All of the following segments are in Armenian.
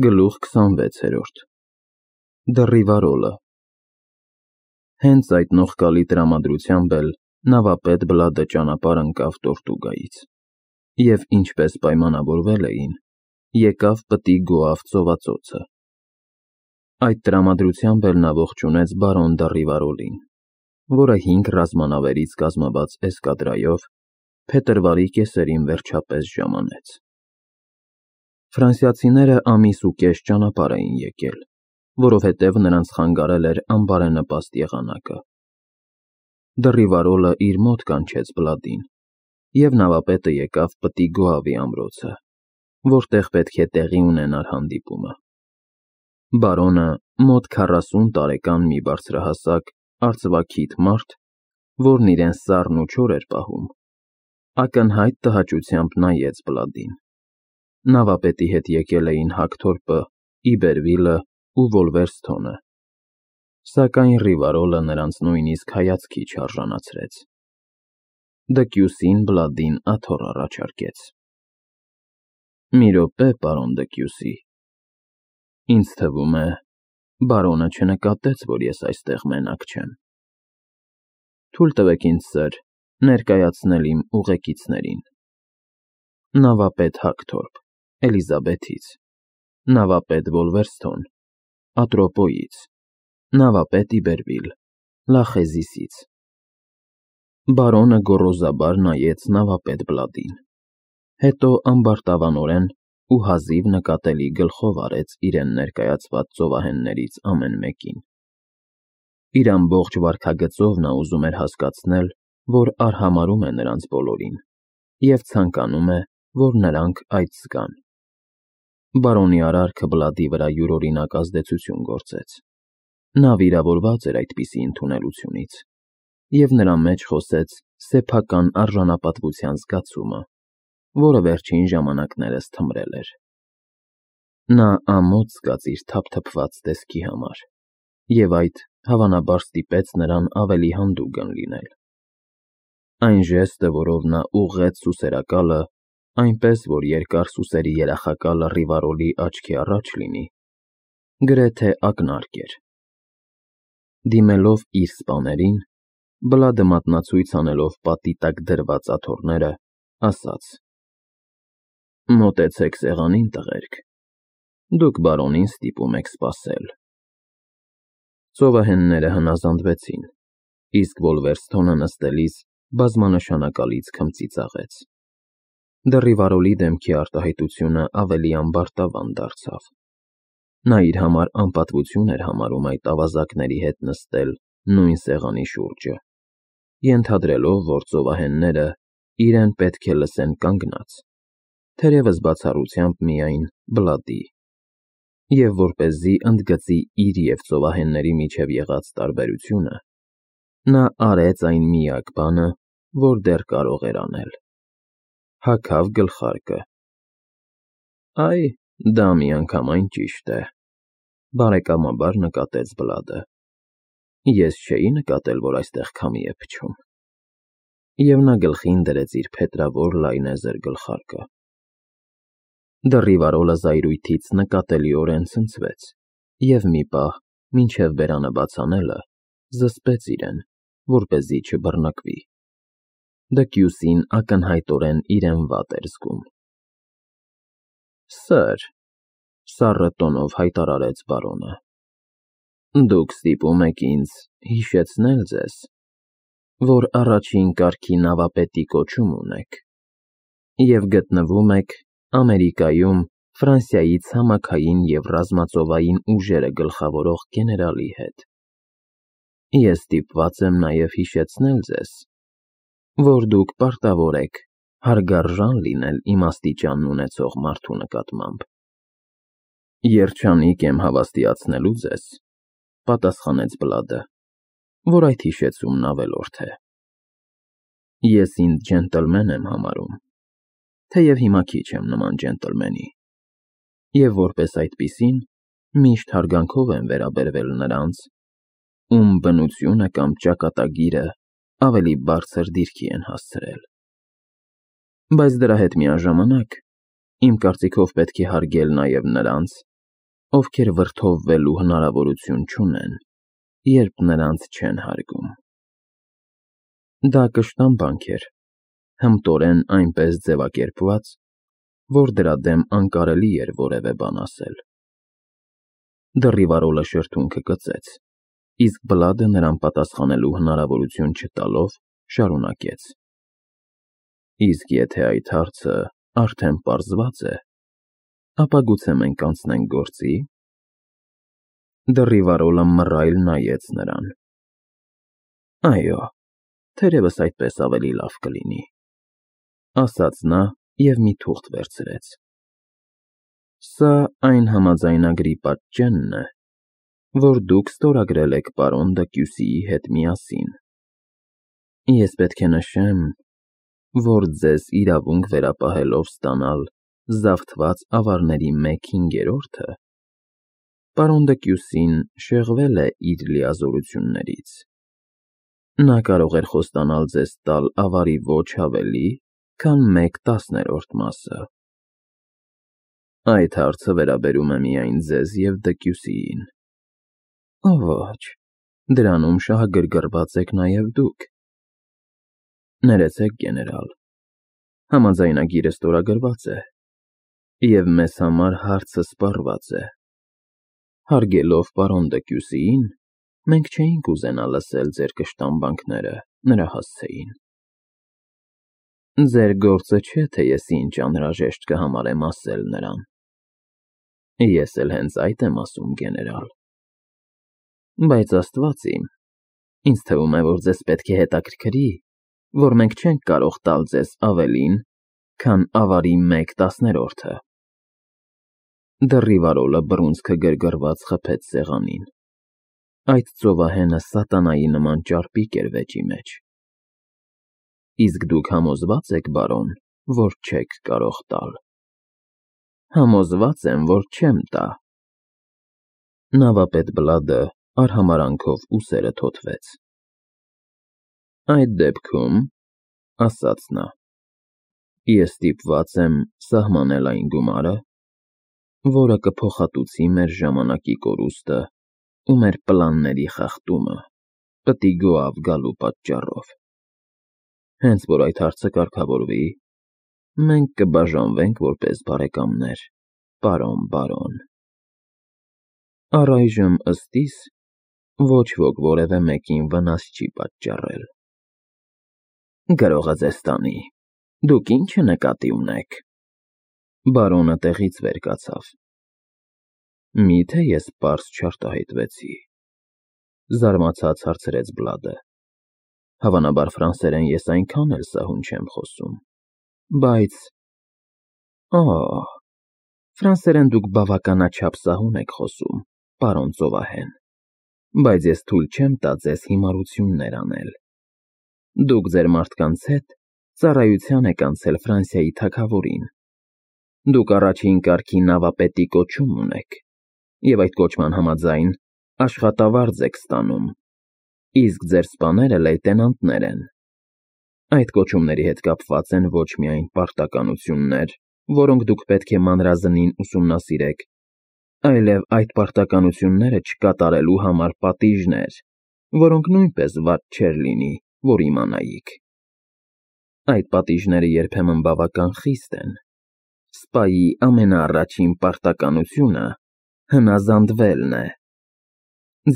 Գլուխ 26 Դռիվարոլը Հենց այդ նողկալի տրամադրությամբ էլ նավապետ Բլադը ճանապարհ ընկավ Տորտուգայից, և ինչպես պայմանավորվել էին, եկավ պտի գոավ ծովածոցը։ Այդ տրամադրությամբ էլ նա ողջունեց բարոն Դռիվարոլին, որը 5 ռազմանավերից կազմված էսկադրայով փետրվարի կեսերին վերջապես ժամանեց։ Ֆրանսիացիները ամիս ու կես ճանապարհ էին եկել, որովհետև նրանց խանգարել էր անբարենպաստ եղանակը։ Դռիվարոլը իր մոտ կանչեց Բլադին, և նավապետը եկավ պտի Գոավի ամրոցը, որտեղ պետք է տեղի ունենար հանդիպումը։ Բարոնը մոտ 40 տարեկան մի բարձրահասակ, արծվաքիթ մարդ, որն իրեն սառն ու չոր էր պահում, ակնհայտ տհաճությամբ նայեց Բլադին։ Նավապետի հետ եկել էին Հագթորպը, Իբերվիլը ու Վոլվերսթոնը, սակայն Ռիվարոլը նրանց նույնիսկ հայացքի չարժանացրեց։ Դկյուսին Բլադին աթոռ առաջարկեց։ «Մի րոպե, պարոն Դկյուսի, ինձ թվում է, բարոնը չնկատեց, որ ես այստեղ մենակ չեմ։ Թույլ տվեք ինձ, սըր, ներկայացնել իմ ուղեկիցներին. նավապետ Հագթորպ, Էլիզաբեթից, նավապետ Վոլվերսթոն, Ատրոպոյից, նավապետ Իբերվիլ, Լախեզիսից»։ Բարոնը գոռոզաբար նայեց նավապետ Բլադին, հետո ամբարտավանորեն ու հազիվ նկատելի գլխով արեց իրեն ներկայացված ծովահեններից ամեն մեկին։ Իր ամբողջ վարքագծով նա ուզում էր հասկացնել, որ արհամարհում է նրանց բոլորին և ցանկանում է, որ նրանք այդ զգան։ Բարոնի արարքը Բլադի վրա յուրօրինակ ազդեցություն գործեց։ Նա վիրավորված էր այդպիսի ընդունելությունից, և նրա մեջ խոսեց սեփական արժանապատվության զգացումը, որը վերջին ժամանակներս թմրել էր։ Նա ամոթ զգաց իր թափթփված տեսքի համար, և այդ, հավանաբար, ստիպեց նրան ավելի հանդուգն լինել։ Այն ժեստը, որով նա ուղղեց սուսերակալը, այնպես, որ երկար սուսերի երախակալը Ռիվարոլի աչքի առաջ լինի, գրեթե ակնարկ էր։ Դիմելով իր սպաներին, Բլադը մատնացույց անելով պատի տակ դրված աթոռները, ասաց. «Մոտեցեք սեղանին, տղերք, դուք բարոնին ստիպում եք սպասել»։ Ծովահենները հնազանդվեցին, իսկ Վոլվերսթոնը նստելիս բազմանշանակալից քմծիծաղեց։ Դռիվարոլի դեմքի արտահայտությունը ավելի ամբարտավան դարձավ։ Նա իր համար անպատվություն էր համարում այդ ավազակների հետ նստել նույն սեղանի շուրջը, ենթադրելով, որ ծովահենները իրեն պետք է լսեն կանգնած, թերևս բացառությամբ միայն Բլադի, և որպեսզի ընդգծի իր և ծովահենների միջև եղած տարբերությունը, նա արեց այն միակ բանը, որ դեռ կարող էր անել. հագավ գլխարկը։ «Այ, դա միանգամայն ճիշտ է», բարեկամաբար նկատեց Բլադը։ «Ես չէի նկատել, որ այստեղ քամի է փչում»։ Եվ նա գլխին դրեց իր փետրավոր լայնեզր գլխարկը։ Դռիվարոլը զայրույթից նկատելիորեն ցնցվեց և մի պահ, մինչև բերանը բաց անելը, զսպեց իրեն, որպեսզի չբռնկվի։ Դկյուսին ակնհայտորեն իրեն վատ էր զգում։ «Սըր», սառը տոնով հայտարարեց բարոնը, «դուք ստիպում եք ինձ հիշեցնել ձեզ, որ առաջին կարգի նավապետի կոչում ունեք և գտնվում եք Ամերիկայում Ֆրանսիայի ցամաքային և ռազմածովային ուժերը գլխավորող գեներալի հետ։ Ես ստիպված եմ նաև հիշեցնել ձեզ, որ դուք պարտավոր եք հարգարժան լինել իմաստիճանն ունեցող մարդու նկատմամբ»։ «Երջանիկ եմ հավաստիացնելու ձեզ», պատասխանեց Բլադը, «որ այդ հիշեցումն ավելորդ է։ Ես ինձ ջենտլմեն եմ համարում, թեև հիմա քիչ եմ նման ջենտլմենի, և որպես այդպիսին միշտ հարգանքով եմ վերաբերվել նրանց, ում բնությունը կամ ճակատագիրը ավելի բարձր դիրքի են հասցրել։ Բայց դրա հետ միաժամանակ, իմ կարծիքով պետք է հարգել նաև նրանց, ովքեր վրդովվելու հնարավորություն չունեն, երբ նրանց չեն հարգում։ Դա կշտամբանք էր, հմտորեն այնպես ձևակերպված, որ դրա դեմ անկարելի էր որևէ բան ասել։ Դռի վարոլը շրթունքը կծեց, իսկ Բլադը նրան պատասխանելու հնարավորություն չտալով շարունակեց. Իսկ եթե այդ հարցը արդեն պարզված է, ապա գուցե մենք անցնենք գործի։ Դռի վարոլը մռայլ նայեց նրան։ Այո, թերևս այդպես ավելի լավ կլինի, ասաց նա և մի թուղթ վերցրեց։ Սա այն համաձայնագրի պատճենն է, որ դուք ստորագրել եք պարոն Դեկյուսիի հետ միասին։ Ես պետք է նշեմ, որ ձեզ իրավունք վերապահելով ստանալ զավթված ավարների 1/5-ը, պարոն Դեկյուսին շեղվել է իր լիազորություններից։ Նա կարող էր խոստանալ ձեզ տալ ավարի ոչ ավելի, քան 1/10 մասը։ Այդ հարցը վերաբերում է միայն ձեզ և Դեկյուսիին։ Ոչ, դրանում շահագրգռված եք նաև դուք։ Ներեցեք, գեներալ, համաձայնագիրը ստորագրված է, և մեզ համար հարցը սպառված է։ Հարգելով պարոն Դեկյուսիին, մենք չէինք ուզենա լսել ձեր կշտամբանքները նրա հասցեին։ Ձեր գործը չէ, թե ես ինչ անհրաժեշտ կհամարեմ ասել նրան։ Ես էլ հենց այդ եմ ասում, գեներալ։ Բայց Աստված իմ, ինձ թվում է, որ ձեզ պետք է հետաքրքրի, որ մենք չենք կարող տալ ձեզ ավելին, քան ավարի 1/10-ը։ Դռի վարոլը բռունցքը գրգռված խփեց սեղանին։ Այդ ծովահենը սատանայի նման ճարպիկ էր վեճի մեջ։ Իսկ դուք համոզվա՞ծ եք, բարոն, որ չեք կարող տալ։ Համոզված եմ, որ չեմ տա։ Նավապետ Բլադը արհամարանքով ուսերը թոթվեց։ Այդ դեպքում, ասաց նա, ես ստիպված եմ սահմանել այն գումարը, որը կփոխհատուցի մեր ժամանակի կորուստը ու մեր պլանների խախտումը պտի գոհավ գալու պատճառով։ Հենց որ այդ հարցը կարգավորվի, մենք կբաժանվենք որպես բարեկամներ, պարոն բարոն։ Առայժմ ըստ իս, ոչ ոք որևէ մեկին վնաս չի պատճառել։ Գրողը ձեզ տանի, դուք ի՞նչը նկատի ունեք։ Բարոնը տեղից վեր կացավ։ Միթե ես պարզ չարտահայտվեցի, զարմացած հարցրեց Բլադը։ Հավանաբար ֆրանսերեն ես այնքան էլ սահուն չեմ խոսում, բայց… Ֆրանսերեն դուք բավականաչափ սահուն եք խոսում, պարոն ծովահեն, բայց ես թույլ չեմ տա ձեզ հիմարություններ անել։ Դուք ձեր մարդկանց հետ ծառայության եք անցել Ֆրանսիայի թագավորին։ Դուք առաջին կարգի նավապետի կոչում ունեք, և այդ կոչման համաձայն աշխատավարձ եք ստանում, իսկ ձեր սպաները լեյտենանտներ են։ Այդ կոչումների հետ կապված են ոչ միայն պարտականություններ, որոնք դուք պետք է մանրազնին ուսումնասիրեք, այլև այդ պարտականությունները չկատարելու համար պատիժներ, որոնք նույնպես վատ չէր լինի, որ իմանայիք։ Այդ պատիժները երբեմն բավական խիստ են։ Սպայի ամենաառաջին պարտականությունը հնազանդվելն է։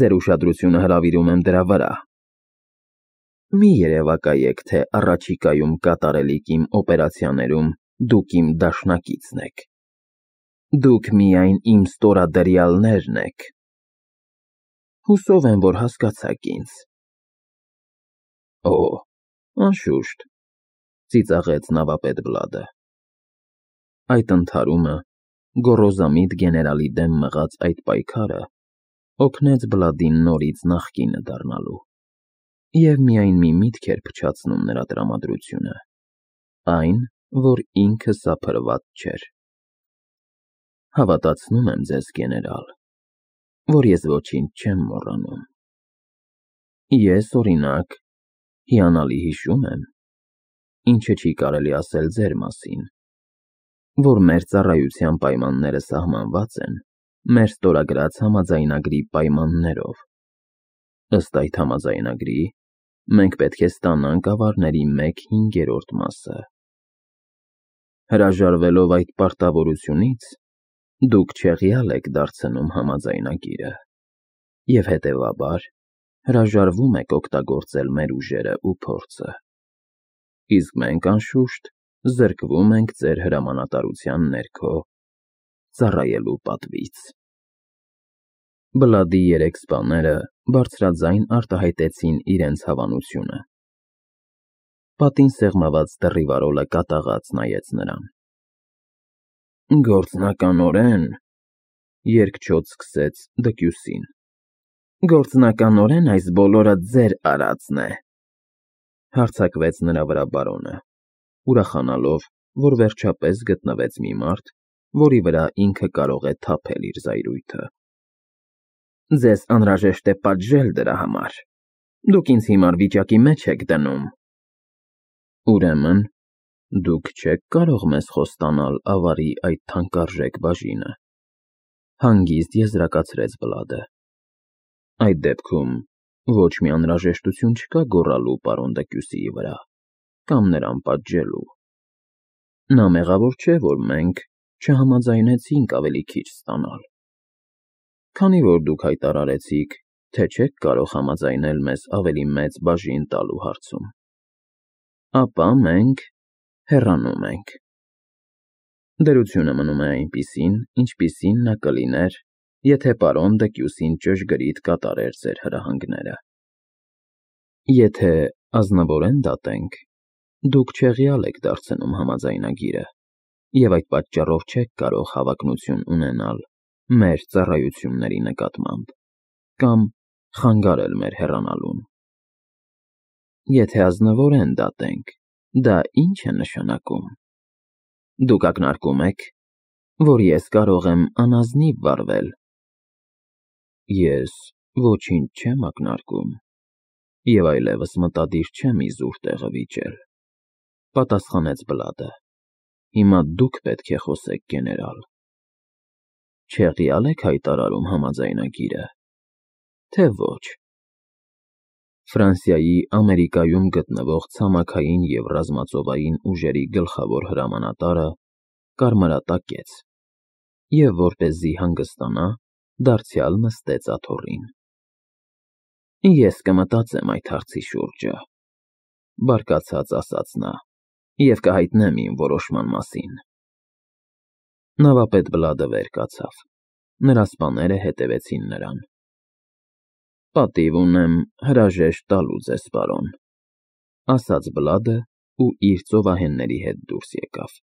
Ձեր ուշադրությունը հրավիրում եմ դրա վրա։ Մի երևակայեք, թե առաջիկայում կատարելիք իմ օպերացիաներում դուք իմ դաշնակիցն եք։ Դուք միայն իմ ստորադրյալներն եք։ Հուսով եմ, որ հասկացաք ինձ։ Անշուշտ, ծիծաղեց նավապետ Բլադը։ Այդ ընդհարումը, գոռոզամիտ գեներալի դեմ մղած այդ պայքարը օգնեց Բլադին նորից նախկինը դառնալու, և միայն մի միտք էր փչացնում նրա տրամադրությունը, այն, որ ինքը սափրված չէր։ Հավատացնում եմ ձեզ, գեներալ, որ ես ոչինչ չեմ մոռանում։ Ես, օրինակ, հիանալի հիշում եմ, ինչը չի կարելի ասել ձեր մասին, որ մեր ծառայության պայմանները սահմանված են մեր ստորագրած համաձայնագրի պայմաններով։ Ըստ այդ համաձայնագրի, մենք պետք է ստանանք ավարների 1/5 մասը։ Հրաժարվելով այդ պարտավորությունից, դուք չեղյալ եք դարձնում համաձայնագիրը, և հետևաբար հրաժարվում եք օգտագործել մեր ուժերը ու փորձը, իսկ մենք, անշուշտ, զրկվում ենք ձեր հրամանատարության ներքո ծառայելու պատվից։ Բլադի 3 սպաները բարձրաձայն արտահայտեցին իրենց հավանությունը։ Պատին սեղմված դռի վարորը կատաղած նայեց նրան։ Գործնականորեն, երկչոտ սկսեց Դկյուսին, գործնականորեն այս բոլորը ձեր արածն է, հարձակվեց նրա վրա բարոնը, ուրախանալով, որ վերջապես գտնվեց մի մարդ, որի վրա ինքը կարող է թափել իր զայրույթը։ Ձեզ անհրաժեշտ է պատժել դրա համար, դուք ինձ հիմար վիճակի մեջ եք դնում։ Ուրեմն, դուք չեք կարող մեզ խոստանալ ավարի այդ թանկարժեք բաժինը, հանգիստ եզրակացրեց Բլադը։ Այդ դեպքում ոչ մի անհրաժեշտություն չկա գոռալու պարոն Դկյուսիի վրա, կամ նրան պատժելու։ Նա մեղավոր չէ, որ մենք չհամաձայնեցինք ավելի քիչ ստանալ։ Քանի որ դուք հայտարարեցիք, թե չեք կարող համաձայնել մեզ ավելի մեծ բաժին տալու հարցում, ապա մենք հեռանում ենք։ Դրությունը մնում է այնպիսին, ինչպիսին նա կլիներ, եթե պարոն Դկյուսին ճշգրիտ կատարեր ձեր հրահանգները։ Եթե ազնվորեն դատենք, դուք չեղյալ եք դարձնում համաձայնագիրը, և այդ պատճառով չեք կարող հավակնություն ունենալ մեր ծառայությունների նկատմամբ, կամ խանգարել մեր հեռանալուն։ Եթե ազնվորեն դատենք, դա ի՞նչ է նշանակում։ Դուք ակնարկում եք, որ ես կարող եմ անազնիվ վարվել։ Ես ոչինչ չեմ ակնարկում, և այլևս մտադիր չեմ իզուր տեղը վիճել, պատասխանեց Բլադը։ Հիմա դուք պետք է խոսեք, գեներալ։ Չեղյալ եք հայտարարում համաձայնագիրը, թե ոչ։ Ֆրանսիայի Ամերիկայում գտնվող ցամաքային և ռազմածովային ուժերի գլխավոր հրամանատարը կարմրատակեց և, որպեսզի հանգստանա, դարձյալ նստեց աթոռին։ Ես կմտածեմ այդ հարցի շուրջը, բարկացած ասաց նա, և կհայտնեմ իմ որոշման մասին։ Նավապետ Բլադը վեր կացավ, նրա սպաները հետևեցին նրան։ Պատիվ ունեմ հրաժեշտ տալու ձեզ, պարոն, ասաց Բլադը ու իր ծովահենների հետ դուրս եկավ։